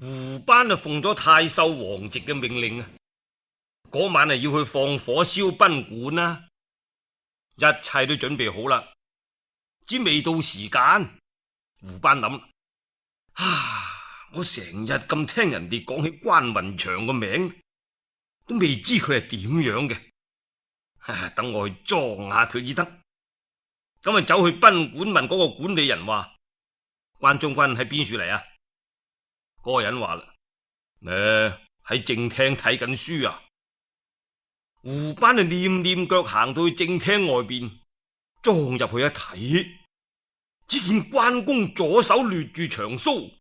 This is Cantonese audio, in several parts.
胡班就奉咗太守王直嘅命令啊，嗰晚係要去放火燒賓館啦，一切都準備好啦，只未到時間。胡班諗：我成日咁聽人哋講起關雲長個名，都未知佢係點樣嘅。等我去裝下佢至得。咁啊，走去賓館問嗰個管理人話：關將軍喺邊處嚟啊？嗰個人話啦：喺正廳睇緊書啊。胡班就念念腳行到去正廳外邊，裝入去一睇，只見關公左手掠住長鬚，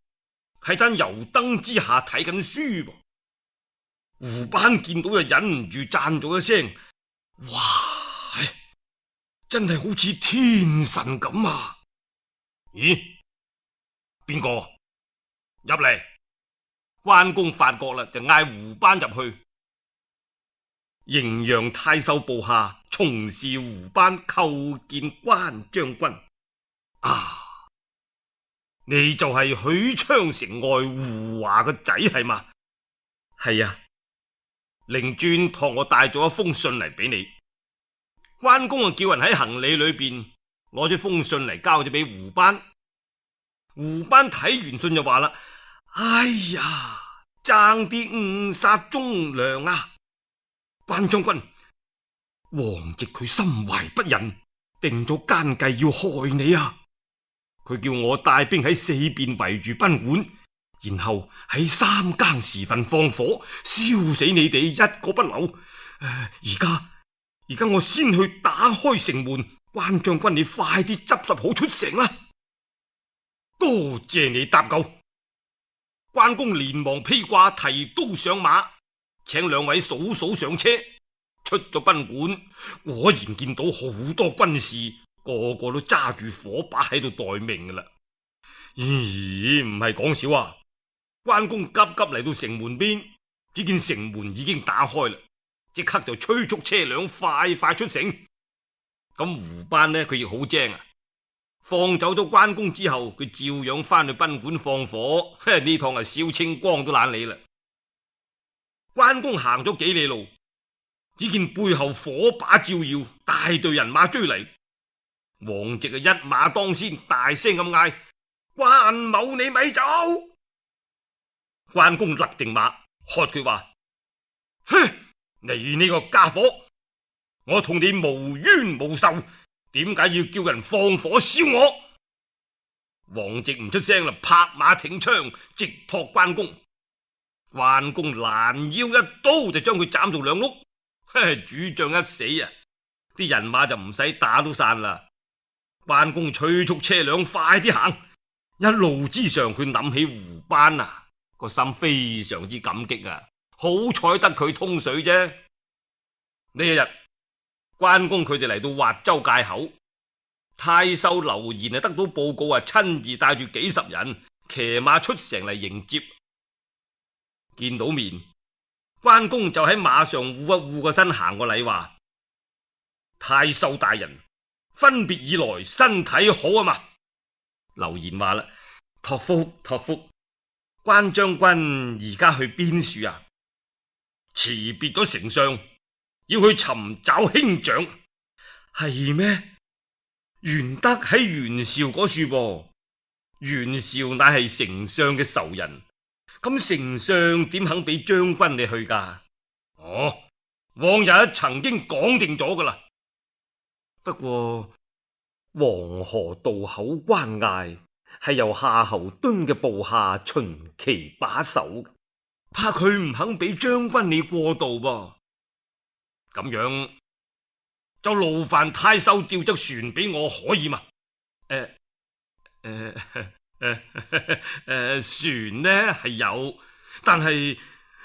喺盞油燈之下睇緊書噃。胡班見到就忍唔住讚咗一聲：哇！真係好似天神咁啊！咦？邊個入嚟？關公發覺啦，就嗌胡班入去。滎陽太守部下從事胡班叩見關將軍。你就係許昌城外胡華個仔係嘛？係啊，令尊託我帶咗一封信嚟俾你。關公啊，叫人喺行李裏邊攞咗封信嚟交咗俾胡班。胡班睇完信就話啦：哎呀，爭啲誤殺忠良啊！關將軍，王直佢心懷不仁，定咗奸計要害你啊！佢叫我帶兵喺四邊圍住賓館，然後喺3更時分放火，燒死你哋一個不留。而家我先去打開城門，關將軍你快啲執拾好出城啦！多謝你搭救。關公連忙披掛提刀上馬，請兩位嫂嫂上車，出咗賓館，果然見到好多軍士，個個都揸住火把喺度待命噶啦。咦，唔係講笑啊！關公急急嚟到城門邊，只見城門已經打開啦。即刻就催促車輛快快出城。咁胡班呢，佢亦好精啊！放走咗關公之後，佢照樣翻去賓館放火。呢趟係燒清光都懶理啦。關公行咗幾里路，只見背後火把照耀，大隊人馬追嚟。王直啊，一馬當先，大聲咁嗌：關某你咪走！關公勒定馬，喝佢話：哼！你呢個家伙，我同你無冤無仇，點解要叫人放火燒我？王直唔出聲啦，拍馬挺槍，直撲關公。關公攔腰一刀就將佢斬做兩碌。主將一死啊，啲人馬就唔使打都散啦。關公催促車輛快啲行，一路之上佢諗起胡班啊，個心非常之感激啊。好彩得佢通水啫。呢一日，關公佢哋嚟到滑州界口，太守劉延得到報告啊，親自帶住幾十人騎馬出城嚟迎接。見到面，關公就喺馬上護一護個身，行個禮話：太守大人，分別以來身體好啊嘛？劉延話啦：託福託福，關將軍而家去邊處啊？辭別咗丞相，要去尋找兄長，係咩？玄德喺袁紹嗰處噃，袁紹乃係丞相嘅仇人，咁丞相點肯俾將軍你去噶？往日曾經講定咗噶啦。不過黃河渡口關隘係由夏侯惇嘅部下秦琪把守，怕佢唔肯俾將軍你過渡噃。咁樣就勞煩太守調隻船俾我，可以嘛？船呢係有，但係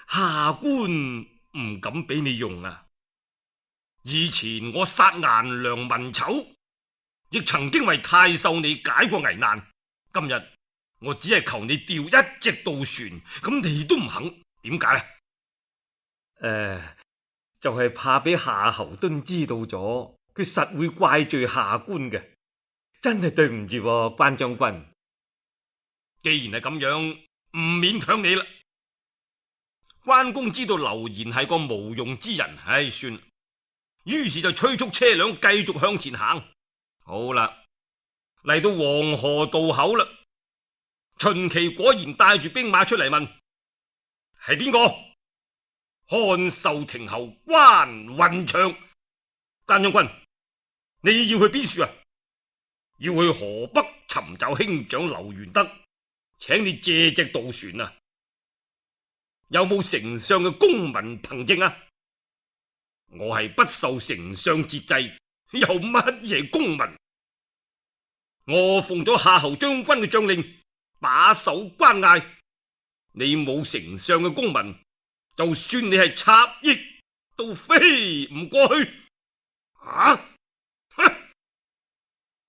下官唔敢俾你用啊。以前我殺顏良文醜，亦曾經為太守你解過危難。今日我只係求你調一隻渡船，咁你都唔肯，點解啊？就係怕俾夏侯惇知道咗，佢實會怪罪下官嘅。真係對唔住，關將軍。既然係咁樣，唔勉強你啦。關公知道劉賢係個無用之人，唉，算啦，於是就催促車輛繼續向前行。好啦，嚟到黃河渡口啦，秦琪果然帶住兵馬出嚟問：係邊個？漢壽亭侯關雲長。關將軍，你要去邊處啊？要去河北尋找兄長劉元德，請你借隻渡船啊！有冇丞相嘅公文憑證啊？我係不受丞相節制，有乜嘢公文？我奉咗夏侯將軍嘅將令，把守關隘。你冇丞相嘅公文，就算你係插翼，都飛唔過去。啊！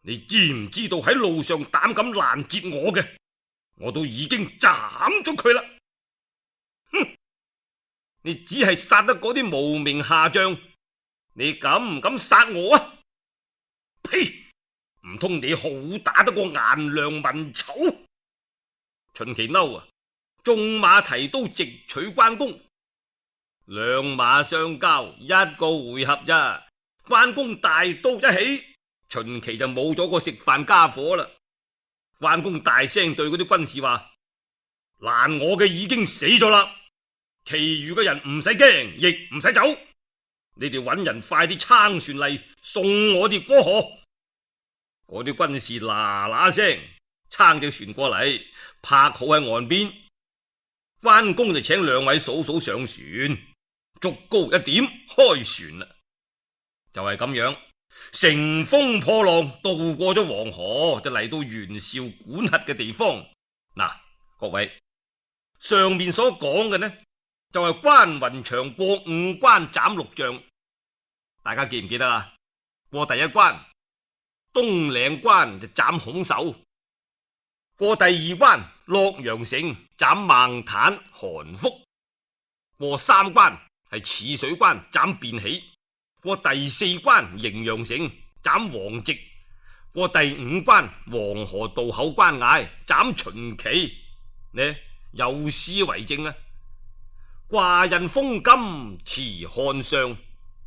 你知唔知道喺路上膽敢攔截我嘅，我都已經斬咗佢啦！哼！你只係殺得嗰啲無名下將，你敢唔敢殺我啊？呸！唔通你好打得過顏良文醜？秦琪嬲啊！縱馬提刀直取關公，兩馬相交，一個回合咋？關公大刀一起，秦琪就冇咗個食飯家伙啦。關公大聲對嗰啲軍士話：攔我嘅已經死咗啦，其餘嘅人唔使驚，亦唔使走。你哋揾人快啲撐船嚟送我哋過河。嗰啲軍士嗱嗱聲撐隻船過嚟，泊好喺岸邊。關公就請兩位嫂嫂上船，竹篙一點，開船啦。就係咁樣，乘風破浪渡過咗黃河，就嚟到袁紹管轄嘅地方。嗱，各位，上面所講嘅呢，就係關雲長過5關斬6將，大家記唔記得啊？過第一關東嶺關就斬孔守，過第二關洛陽城斬孟坦、韓福，過3關係汜水關斬卞喜，過第4關滎陽城斬王直，過第5關黃河渡口關隘斬秦琪。呢有詩為證啊！掛印封金持漢上，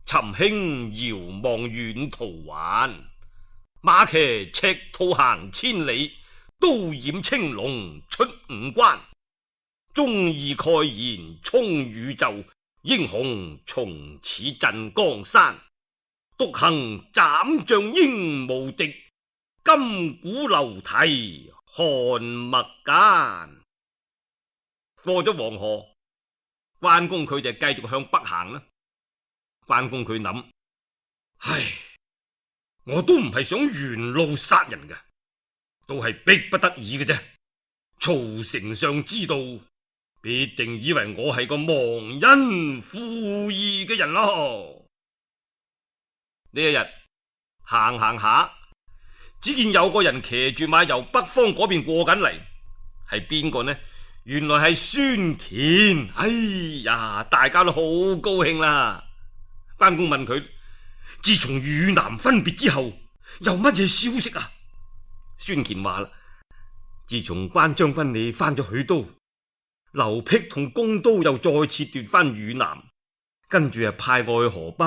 尋兄遙望遠途還。馬騎赤兔行千里，刀染青龍出5關。忠義蓋然充宇宙，英雄從此鎮江山。獨行斬將應無敵，金鼓流涕汗墨間。過咗黃河，關公佢就繼續向北行啦。關公佢諗：唉，我都唔係想沿路殺人嘅，都係逼不得已嘅啫。曹丞相知道，必定以為我係個忘恩負義嘅人咯。呢一日行行下，只見有個人騎住馬由北方嗰邊過緊嚟，係邊個呢？原來係孫乾。哎呀，大家都好高興啦。關公問佢：自從與南分別之後，有乜嘢消息啊？孫乾話啦：自從關將軍你翻咗許都，劉辟同公都又再次奪翻汝南，跟住派我去河北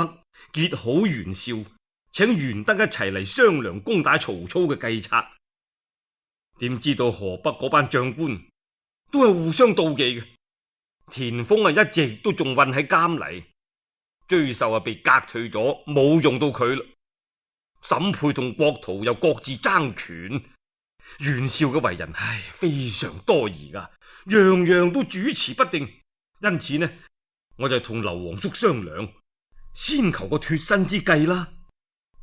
結好袁紹，請袁德一齊嚟商量攻打曹操嘅計策。點知道河北嗰班將官都係互相妒忌嘅，田豐一直都仲困喺監嚟，追授被革退咗，冇用到佢啦。審配同郭圖又各自爭權，袁紹嘅為人非常多疑噶，樣樣都主持不定。因此呢，我就同劉皇叔商量，先求個脫身之計啦。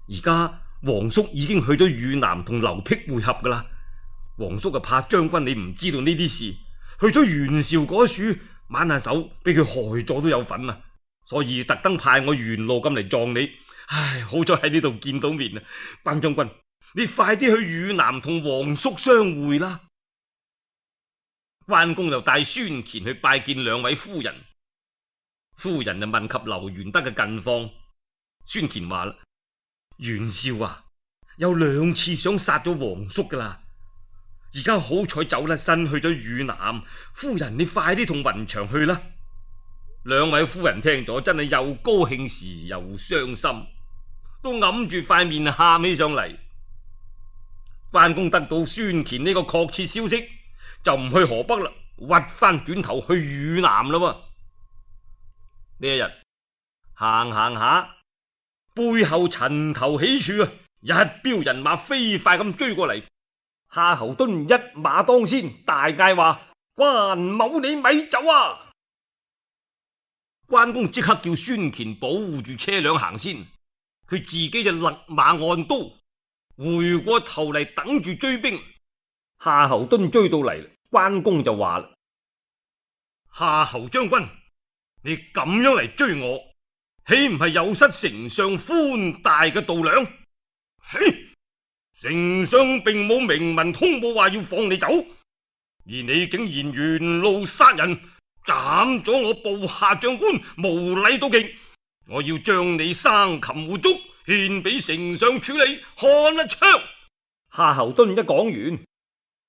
而家皇叔已經去咗汝南同劉辟會合噶啦，皇叔就怕將軍你唔知道呢啲事，去咗袁紹嗰處挽下手，俾佢害咗都有份啊！所以特登派我沿路咁嚟撞你。唉，好在喺呢度見到面啊！關將軍，你快啲去汝南同皇叔相會啦！關公就帶孫乾去拜見兩位夫人，夫人就問及劉元德嘅近況。孫乾話啦：袁紹啊，有2次想殺咗皇叔噶啦，而家好彩走甩身去咗汝南，夫人你快啲同雲長去啦。兩位夫人聽咗真係又高興時又傷心，都揞住塊面喊起上嚟。關公得到孫乾呢個確切消息，就唔去河北啦，屈翻轉頭去汝南啦。呢一日行行下，背後塵頭起處啊，一彪人馬飛快咁追過嚟。夏侯惇一馬當先，大嗌話：關某你咪走啊！關公即刻叫孫乾保護住車輛行先，佢自己就勒馬按刀，回過頭嚟等住追兵。夏侯惇追到嚟，關公就話啦：夏侯將軍，你咁樣嚟追我，豈唔係有失丞相寬大嘅度量？嘿！丞相並冇明文通報話要放你走，而你竟然沿路殺人，斬咗我部下將官，無禮到極！我要將你生擒活捉，獻俾丞相處理，看一槍！夏侯惇一講完，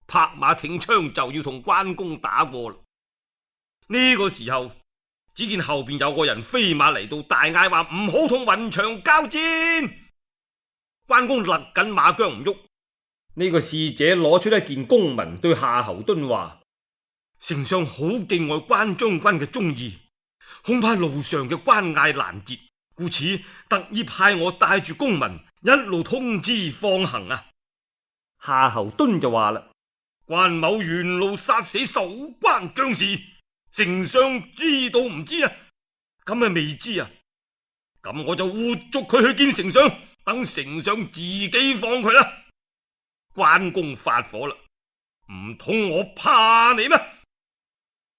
拍馬挺槍就要同關公打過啦。呢個時候，只見後邊有個人飛馬嚟到，大嗌話唔好同雲長交戰。關公勒緊馬韁唔喐，呢個使者攞出一件公文對夏侯惇話：丞相好敬愛關將軍嘅忠義，恐怕路上嘅關隘難截，故此特意派我帶住公文一路通知放行啊。夏侯惇就話啦：關某沿路殺死守關將士，丞相知道唔知啊？咁啊未知啊？咁我就活捉佢去見丞相。等丞相自己放佢啦！關公發火啦，唔通我怕你咩？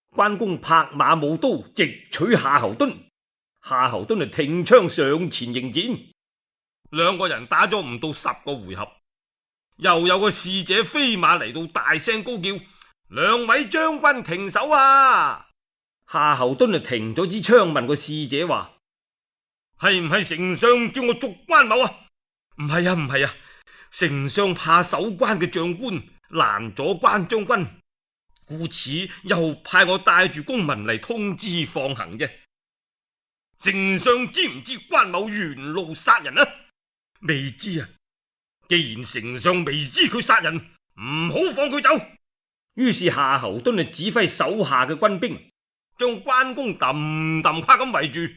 關公拍馬舞刀，直取夏侯惇。夏侯惇就挺槍上前迎戰，兩個人打咗唔到10個回合，又有個使者飛馬嚟到，大聲高叫：兩位將軍停手啊！夏侯惇就停咗支槍，問個使者話：係唔係丞相叫我捉關某啊？唔係啊，唔係啊，丞相怕守關嘅將官攔咗關將軍，故此又派我帶住公文嚟通知放行啫。丞相知唔知關某沿路殺人啊？未知啊。既然丞相未知佢殺人，唔好放佢走。於是夏侯惇就指揮手下嘅軍兵，將關公揼揼跨咁圍住。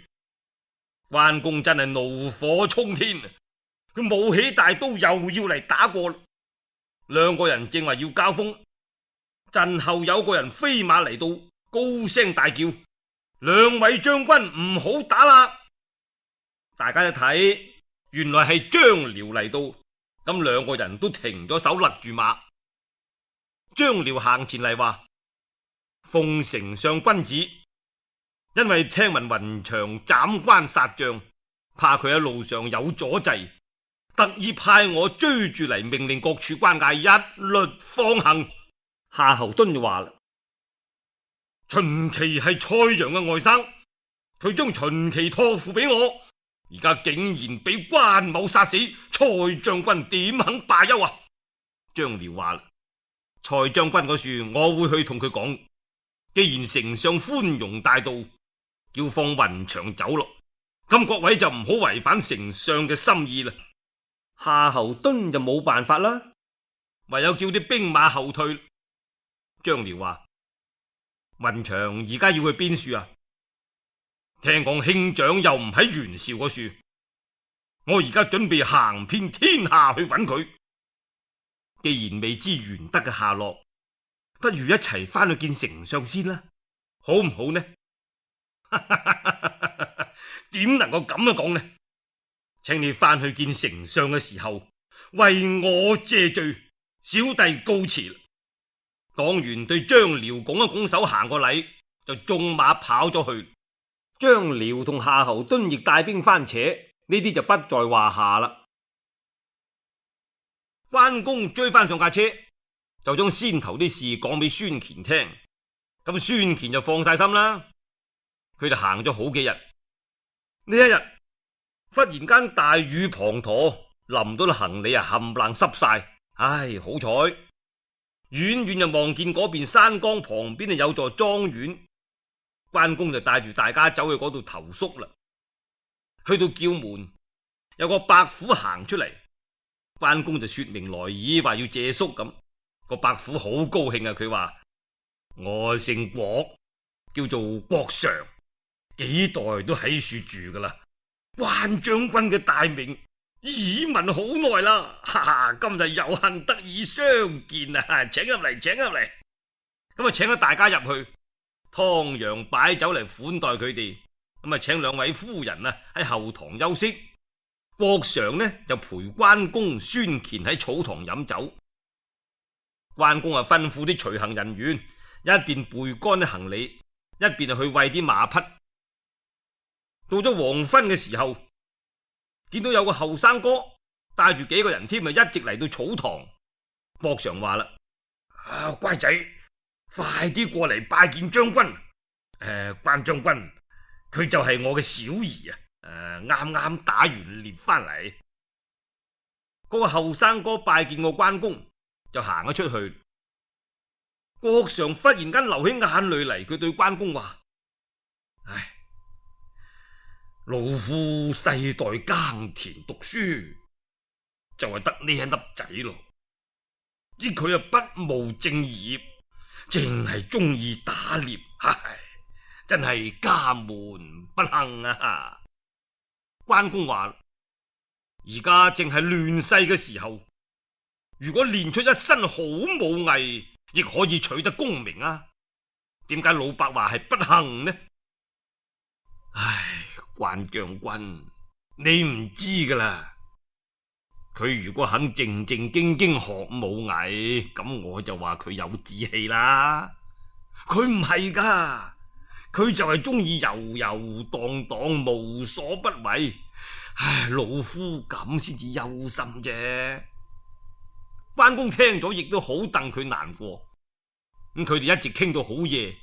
關公真係怒火沖天，佢舞起大刀又要嚟打過。兩個人正話要交鋒，陣後有個人飛馬嚟到，高聲大叫：兩位將軍唔好打啦！大家一睇，原來係張遼嚟到，咁兩個人都停咗手，勒住馬。張遼行前嚟話：奉丞相君旨，因為聽聞雲長斬關殺將，怕佢喺路上有阻滯，特意派我追住嚟，命令各處關隘一律放行。夏侯惇就話啦：秦琪係蔡陽嘅外甥，佢將秦琪託付俾我，而家竟然俾關某殺死，蔡將軍點肯罷休啊？張遼話啦：蔡將軍嗰處我會去同佢講，既然丞相寬容大度，叫放雲長走咯，咁各位就唔好違反丞相嘅心意啦。夏侯惇就冇辦法啦，唯有叫啲兵馬後退。張遼話：雲長而家要去邊處啊？聽講兄長又唔喺袁紹嗰處，我而家準備行遍天下去揾佢。既然未知玄德嘅下落，不如一齊翻去見丞相先啦，好唔好呢？點能夠咁樣講呢？請你翻去見丞相嘅時候，為我謝罪，小弟告辭。講完對張遼拱一拱手，行個禮，就縱馬跑咗去。張遼同夏侯惇亦帶兵翻扯，呢啲就不在話下啦。關公追翻上架車，就將先頭啲事講俾孫乾聽，咁孫乾就放晒心啦。佢就行咗好幾日，呢一日忽然間大雨滂沱，淋到啲行李啊冚唪唥濕晒。唉，好彩遠遠就望見嗰邊山崗旁邊有座莊園，關公就帶住大家走去嗰度投宿啦。去到叫門，有個伯虎行出嚟，關公就說明來意，話要借宿咁。個伯虎好高興啊，佢話：我姓郭，叫做郭常，幾代都喺處住噶啦。關將軍嘅大名耳聞好耐啦，哈哈！今日有幸得以相見啊，請入嚟，請入嚟。咁啊，請咗大家入去，湯陽擺酒嚟款待佢哋。咁啊，請兩位夫人啊喺後堂休息。郭常呢就陪關公、孫乾喺草堂飲酒。關公啊吩咐啲隨行人員一邊背乾啲行李，一邊去餵啲馬匹。到咗黃昏嘅時候，見到有個後生哥帶住幾個人添，一直嚟到草堂。郭常話啦：乖仔，快啲過嚟拜見將軍。關將軍，佢就係我嘅小兒啊！啱啱打完獵翻嚟。嗰個後生哥拜見過關公，就行咗出去。郭常忽然間流起眼淚嚟，佢對關公話：唉，老夫世代耕田讀書，就係得呢一粒仔咯。知佢啊不務正業，淨係中意打獵，唉，真係家門不幸啊！關公話：而家正係亂世嘅時候，如果練出一身好武藝，亦可以取得功名啊！點解老伯話係不幸呢？唉，關將軍，你唔知噶啦。佢如果肯正正經經學武藝，咁我就話佢有志氣啦。佢唔係噶，佢就係中意遊遊蕩蕩，無所不為。唉，老夫咁先至憂心啫。關公聽咗亦都好戥佢難過。咁佢哋一直傾到好夜，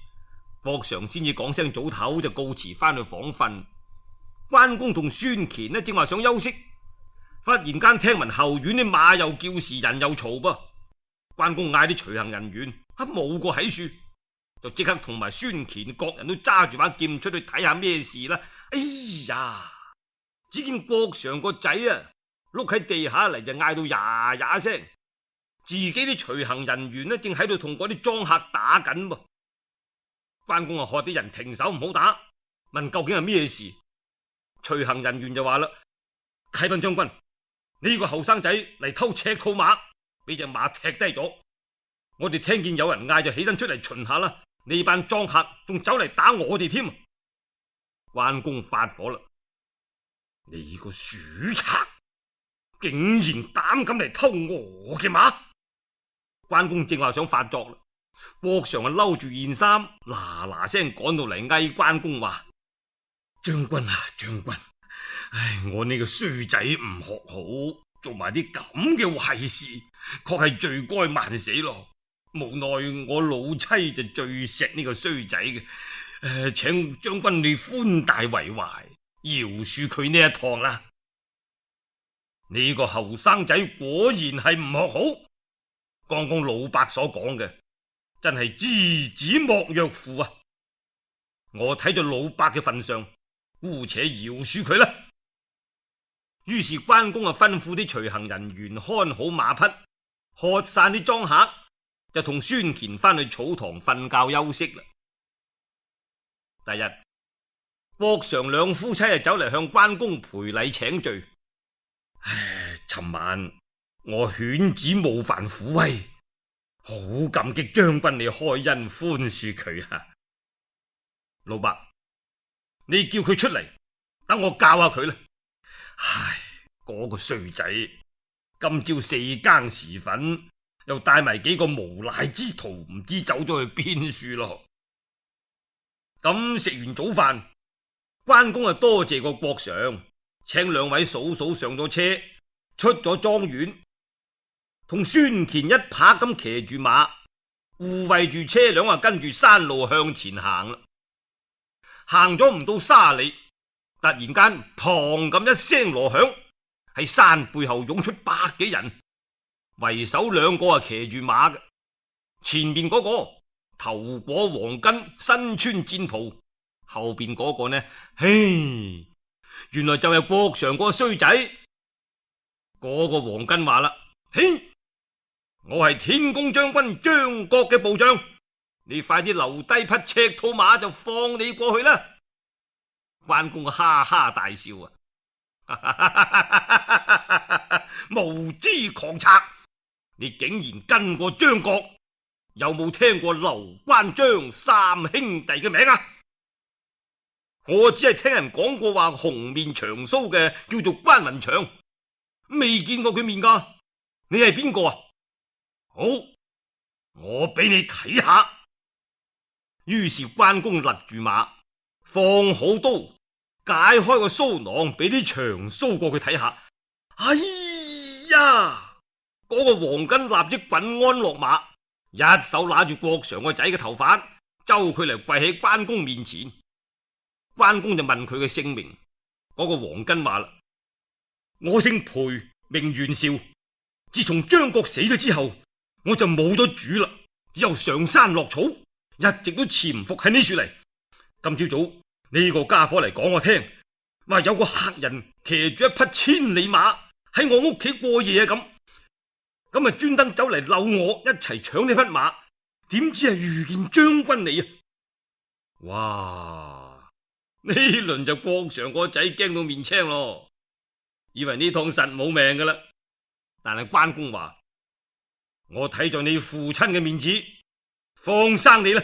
郭常先至講聲早唞，就告辭翻去房瞓。關公同孫乾呢正話想休息，忽然間聽聞後院啲馬又叫時，人又嘈噃。關公嗌啲隨行人員，冇個喺處，就即刻同埋孫乾各人都揸住把劍出去睇下咩事啦。哎呀！只見郭常個仔啊，碌喺地下嚟就嗌到呀呀聲，自己啲隨行人員呢正喺度同嗰啲莊客打緊噃。關公啊，喝啲人停手唔好打，問究竟係咩事。隨行人員就話啦：啟稟將軍，呢個後生仔嚟偷赤兔馬，俾隻馬踢低咗。我哋聽見有人嗌，就起身出嚟巡下啦。呢班莊客仲走嚟打我哋添。關公發火啦：你個鼠賊，竟然膽敢嚟偷我嘅馬！關公正話想發作啦，郭常啊嬲住件衫，嗱嗱聲趕到嚟嗌關公話：將軍啊，將軍，唉，我呢個衰仔唔學好，做埋啲咁嘅壞事，確係罪該萬死咯。無奈我老妻就最錫呢個衰仔嘅，請將軍你寬大為懷，饒恕佢呢一趟啦。呢個後生仔果然係唔學好，剛剛老伯所講嘅真係知子莫若父啊！我睇在老伯嘅份上，姑且饒恕佢啦。於是關公啊吩咐啲隨行人員看好馬匹，喝散啲莊客，就同孫乾翻去草堂瞓覺休息啦。第日，郭常兩夫妻就走嚟向關公賠禮請罪。唉，尋晚我犬子冒犯虎威，好感激將軍你開恩寬恕佢啊！老伯，你叫佢出嚟，等我教下佢啦。唉，嗰個衰仔，今朝四更時分又帶埋幾個無賴之徒，唔知走咗去邊處咯。咁食完早飯，關公啊多謝個郭常，請兩位嫂嫂上咗車，出咗莊園，同孫乾一拍咁騎住馬，護衛住車輛啊，跟住山路向前行啦。行咗唔到30里，突然間砰咁一聲鑼響，喺山背後湧出100幾人，為首兩個啊騎住馬嘅，前面嗰個頭裹黃巾，身穿戰袍，後邊嗰個呢？嘿，原來就係郭常個衰仔。嗰個黃巾話啦：嘿，我係天公將軍張角嘅部將，你快啲留低匹赤兔馬就放你過去啦。關公哈哈大笑啊！無知狂賊，你竟然跟過張角，有冇聽過劉關張三兄弟嘅名啊？我只係聽人講過話紅面長鬚嘅叫做關雲長，未見過佢面噶。你係邊個啊？好，我俾你睇下。於是關公勒住馬，放好刀，解開個鬚囊，俾啲長鬚過佢睇下。哎呀！嗰個黃巾立即滾鞍落馬，一手拿住郭常個仔嘅頭髮，揪佢嚟跪喺關公面前。關公就問佢嘅姓名，嗰個黃巾話啦：我姓裴，名袁紹。自從張角死咗之後，我就冇咗主啦，只有上山落草，一直都潛伏喺呢處嚟。今朝早呢個家伙嚟講我聽，話有個客人騎住一匹千里馬喺我屋企過夜啊，咁啊專登走嚟溜我一齊搶呢匹馬，點知係遇見將軍你啊！哇！呢輪就郭常個仔驚到面青咯，以為呢趟實冇命噶啦。但係關公話：我睇在你父親嘅面子，放生你啦。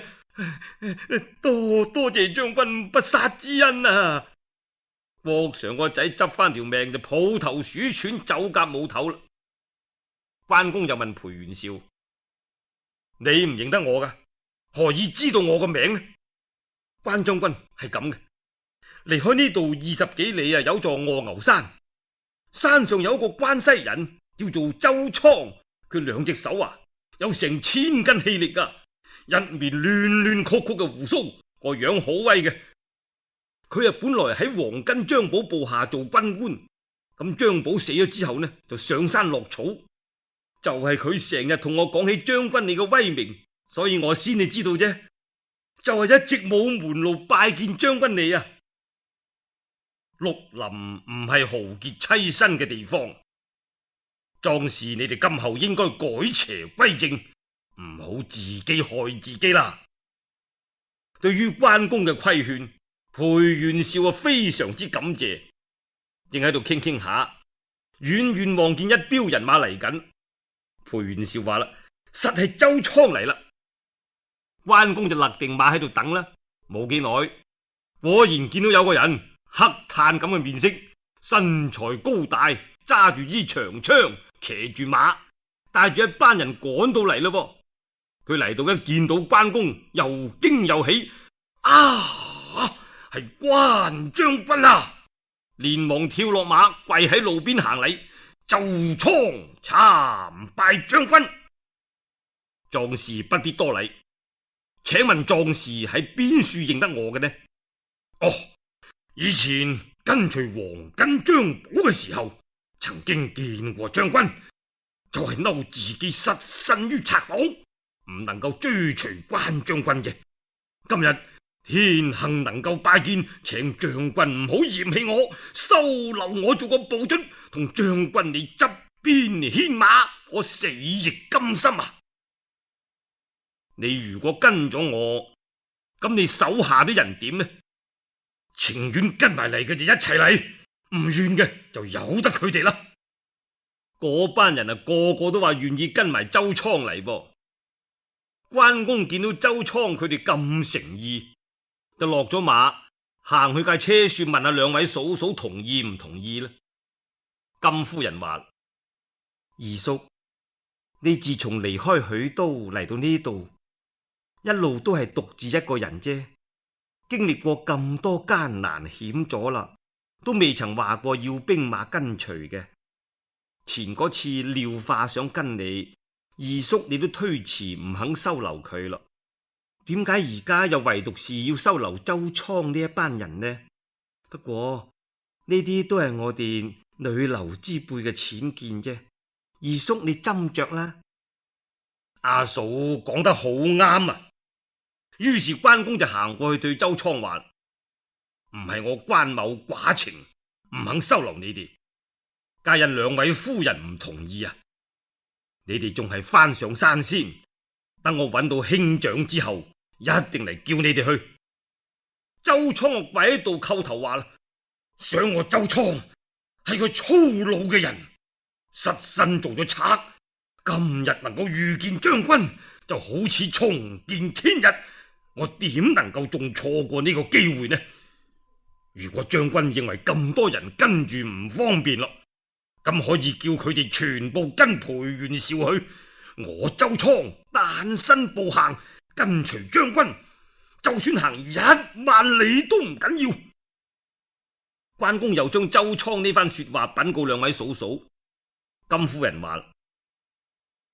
多謝將軍不殺之恩啊！郭常個仔執翻條命就抱頭鼠竄，走夾冇頭啦。關公又問裴元紹：你唔認得我噶，何以知道我個名呢？關將軍係咁嘅。離開呢度20幾里啊，有座臥牛山，山上有一個關西人叫做周倉，佢兩隻手啊有成1000斤氣力噶，一面亂亂曲曲嘅鬍鬚，個樣好威嘅。佢啊本來喺黃巾張寶部下做軍官，咁張寶死咗之後呢，就上山落草。就係佢成日同我講起將軍你嘅威名，所以我先至知道啫。就係一直冇門路拜見將軍你啊！綠林唔係豪傑棲身嘅地方，壯士你哋今後應該改邪歸正，唔好自己害自己啦。對於關公嘅規勸，裴元紹啊非常之感謝，正喺度傾傾下，遠遠望見一彪人馬嚟緊。裴元紹話啦：實係周倉嚟啦。關公就勒定馬喺度等啦。冇幾耐，果然見到有個人，黑炭咁嘅面色，身材高大，揸住支長槍，騎住馬，帶住一班人趕到嚟咯。佢嚟到一見到關公，又驚又喜，啊，係關將軍啊！連忙跳落馬，跪喺路邊行禮：周倉參拜將軍。壯士不必多禮，請問壯士喺邊處認得我嘅呢？哦，以前跟隨黃巾張寶嘅時候，曾經見過將軍，就係嬲自己失身於賊黨，唔能夠追隨關將軍啫。今日天幸能夠拜見，請將軍唔好嫌棄我，收留我做個部卒，同將軍你側邊牽馬，我死亦甘心啊！你如果跟咗我，咁你手下啲人點呢？情願跟埋嚟嘅就一齊嚟，唔願嘅就由得佢哋啦。嗰班人啊，個個都話願意跟埋周倉嚟噃。關公見到周倉佢哋咁誠意，就落咗馬，行去架車處問下兩位嫂嫂同意唔同意啦。金夫人話：二叔，你自從離開許都嚟到呢度，一路都係獨自一個人啫，經歷過咁多艱難險阻啦，都未曾話過要兵馬跟隨嘅。前嗰次廖化想跟你，二叔你都推辭唔肯收留佢咯。點解而家又唯獨是要收留周倉呢一班人呢？不過呢啲都係我哋女流之輩嘅淺見啫，二叔你斟酌啦。阿嫂講得好啱啊！於是關公就行過去對周倉話：唔係我關某寡情，唔肯收留你哋，皆因兩位夫人唔同意啊！你哋仲係翻上山先，等我揾到兄長之後，一定嚟叫你哋去。周倉跪喺度叩頭話啦：想我周倉係個粗魯嘅人，失身做咗賊，今日能夠遇見將軍，就好似重見天日。我點能夠仲錯過呢個機會呢？如果將軍認為咁多人跟住唔方便咯，咁可以叫佢哋全部跟裴元紹去。我周倉單身步行，跟隨將軍，就算行10000里都唔緊要。關公又將周倉呢番說話稟告兩位嫂嫂。金夫人話：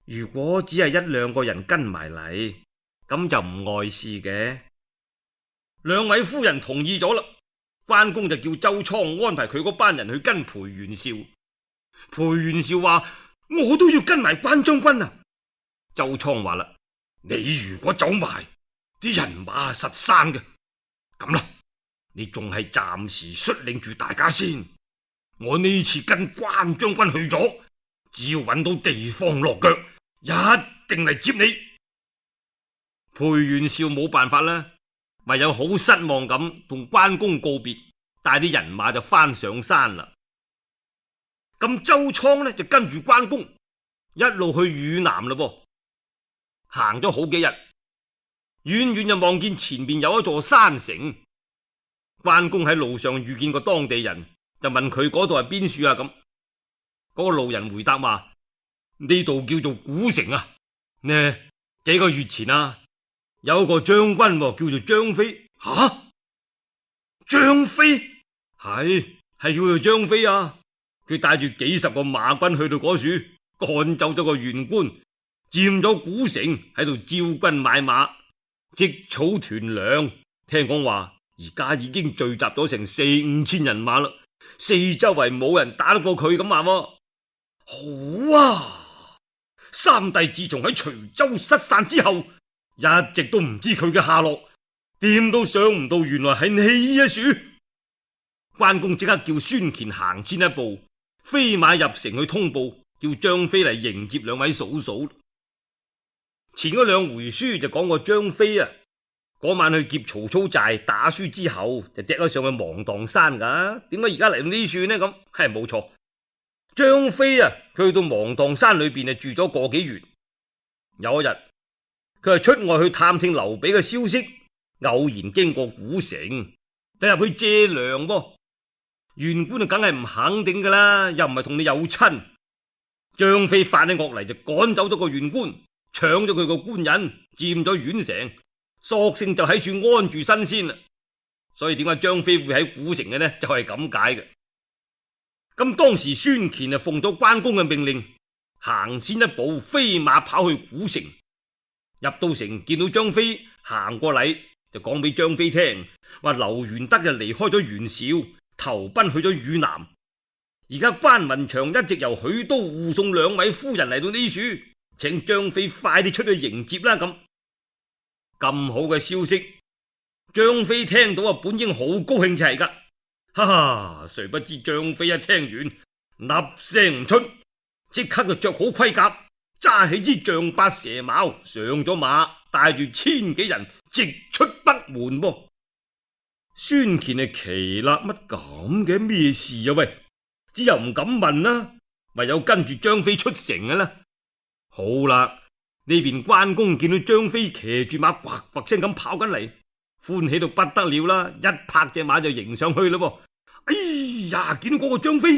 如果只係1-2個人跟埋嚟，咁就唔礙事嘅。兩位夫人同意咗啦。關公就叫周倉安排佢嗰班人去跟裴元紹。裴元紹話：我都要跟埋關將軍啊！周倉話啦：你如果走埋，啲人馬實生嘅。咁啦，你仲係暫時率領住大家先。我呢次跟關將軍去咗，只要揾到地方落腳，一定嚟接你。裴元紹冇辦法啦，唯有好失望咁同關公告別，帶啲人馬就翻上山啦。咁周倉呢就跟住關公一路去汝南啦噃。行咗好幾日，遠遠就望見前面有一座山城。關公喺路上遇見個當地人，就問佢嗰度係邊處啊？咁嗰個路人回答話：呢度叫做古城啊。呢幾個月前啊，有個將軍叫做張飛。吓，張飛係叫做張飛啊！佢帶住幾十個馬軍去到嗰處，趕走咗個縣官，佔咗古城，喺度招軍買馬，積草屯糧。聽講話而家已經聚集咗成4-5千人馬啦，四周圍冇人打得過佢咁話。好啊！三弟自從喺徐州失散之後，一直都唔知佢嘅下落，點都想唔到原來係你啊！樹關公即刻叫孫乾行先一步，飛馬入城去通報，叫張飛嚟迎接兩位嫂嫂。前嗰2回書就講過張飛啊，嗰晚去劫曹操寨打輸之後就趯咗上去芒砀山噶。點解而家嚟到呢處呢？咁係冇錯，張飛啊，佢去到芒砀山裏邊住咗個幾月。有一日佢係出外去探聽劉備嘅消息，偶然經過古城，就入去借糧噃。縣官就梗係唔肯定噶啦，又唔係同你有親。張飛發起惡嚟，就趕走咗個縣官，搶咗佢個官人，佔咗縣城，索性就喺處安住身先啦。所以點解張飛會喺古城嘅呢？就係咁解嘅。咁當時孫乾就奉咗關公嘅命令，行先一步，飛馬跑去古城。入到城見到張飛行過嚟，就講俾張飛聽，話劉元德就離開咗袁紹，投奔去咗汝南。而家關雲長一直由許都護送2位夫人嚟到呢處，請張飛快啲出去迎接啦。咁好嘅消息，張飛聽到本應好高興就係噶，哈哈！誰不知張飛一聽完，粒聲唔出，即刻就着好盔甲，揸起支象拔蛇矛，上咗馬，帶住1000幾人直出北門噃。孫乾係奇啦，乜咁嘅咩事啊？喂，只又唔敢問啦，唯有跟住張飛出城嘅啦。好啦，呢邊關公見到張飛騎住馬，呱呱聲咁跑緊嚟，歡喜到不得了啦，一拍隻馬就迎上去啦。哎呀，見到嗰個張飛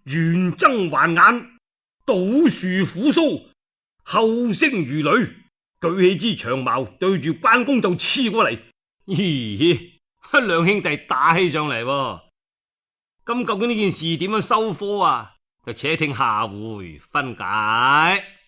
圓睜環眼，倒豎虎鬚，後聲如雷，舉起支長矛對住關公就刺過嚟。咦，兩兄弟打起上嚟喎。咁究竟呢件事點樣收科啊？就且聽下回分解。